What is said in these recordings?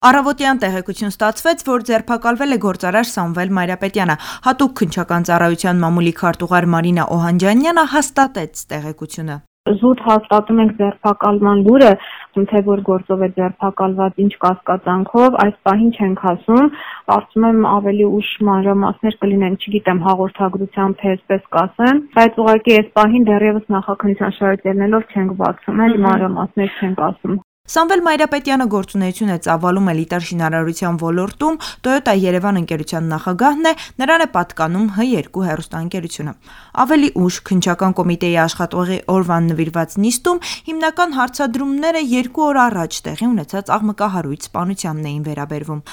Առավոտյան տեղեկություն ստացվեց, որ ձերբակալվել է գործարար Սամվել Մայրապետյանը։ Հատուկ քննչական ծառայության մամուլի քարտուղար Մարինա Օհանջանյանը հաստատեց տեղեկությունը։ Զուտ հաստատում ենք ձերբակալման լուրը, թե որ գործով է ձերբակալված, ինչ կասկածանքով, այս պահին չենք ասում, կարծում եմ ավելի ուշ մանրամասներ կլինեն, չգիտեմ, հաղորդագրությամբ թե այսպես կասեմ, բայց ուղղակի այս պահին դեռևս նախաքննության շարժ չենք բացում, էլի մանրամասներ չենք ասում։ Սամվել Մայրապետյանը գործունեություն է ծավալում էլիտար շինարարության ոլորտում, Toyota Երևան ընկերության նախագահն է, նրան է պատկանում H2 հեռուստաընկերությունը։ Ավելի ուշ քննչական կոմիտեի աշխատողի օրվան նվիրված նիստում հիմնական հարցադրումները 2 օր առաջ տեղի ունեցած աղմկահարույց սպանությանն էին վերաբերվում։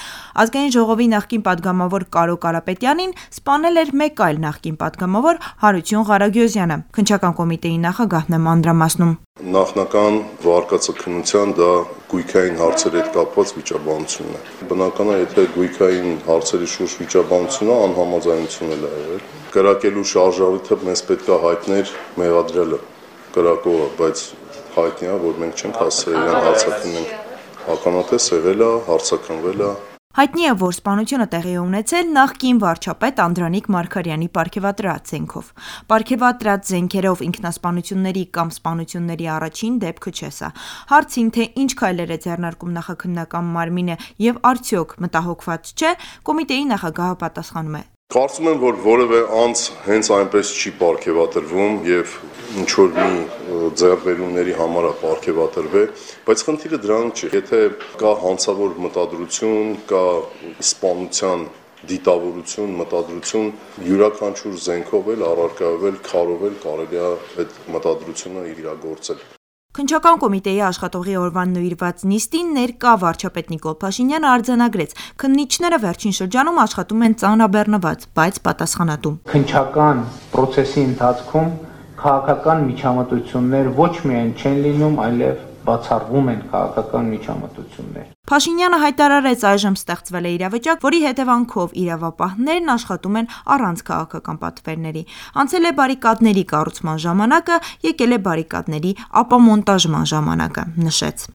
Ազգային ժողովի նախկին падգամավոր Կարո Կարապետյանին սպանել էր մեկ այլ նախկին падգամավոր Հարություն Ղարագյոզյանը։ Քննչական կոմիտեի նախագահն է մանրամասնում։ Նախնական վարկածաքննության դա գույքային հարցերի հետ կապված վիճաբանությունն է։ Բնական է, եթե գույքային հարցերի շուրջ վիճաբանությունը անհամաձայնություն է եղել։ Կրակելու շարժառիթը մեզ պետք է հայտներ մեղադրելը կրակողը, բայց հայտնի է, որ մենք չենք հասցրել իրան հարցաքննենք։ Ականատես եղել է, հարցաքննվել է։ Հայտնի է, որ սպանությունը տեղի է ունեցել նախկին վարչապետ Անդրանիկ Մարգարյանի պարգևատրած զենքով։ Պարգևատրած զենքերով ինքնասպանությունների կամ սպանությունների առաջին դեպքը չէ սա։ Հարցին, թե ինչ քայլեր է ձեռնարկում նախաքննական մարմինը եւ արդյոք մտահոգված չէ, կոմիտեի նախագահը պատասխանում է. Կարծում եմ, որ որևէ անձ հենց այնպես չի պարգևատրվում եւ ինչ որ մի ձեռբերումների համար է պարգևատրվել, բայց խնդիրը դրանում չէ։ Եթե կա հանցավոր մտադրություն, կա սպանության դիտավորություն, մտադրություն, յուրաքանչյուր զենքով էլ առարկայով, քարով էլ կարելի է այդ մտադրությունը իրագործել։ Քննչական կոմիտեի աշխատողի օրվան նվիրված նիստին ներկա վարչապետ Նիկոլ Փաշինյանը արձանագրեց. քննիչները վերջին շրջանում աշխատում են ծանրաբեռնված, բայց պատասխանատու։ Քննչական process-ի ընթացքում քաղաքական միջամտություններ ոչ միայն չեն լինում, այլև բացառվում են քաղաքական միջամտություններ։ Փաշինյանը հայտարարեց, այժմ ստեղծվել է իրավիճակ, որի հետևանքով իրավապահներն աշխատում են առանց քաղաքական պատվերների։ Անցել է բարիկադների կառուցման ժամանակը, եկել է բարիկադների ապամոնտաժման ժամանակը, նշեց։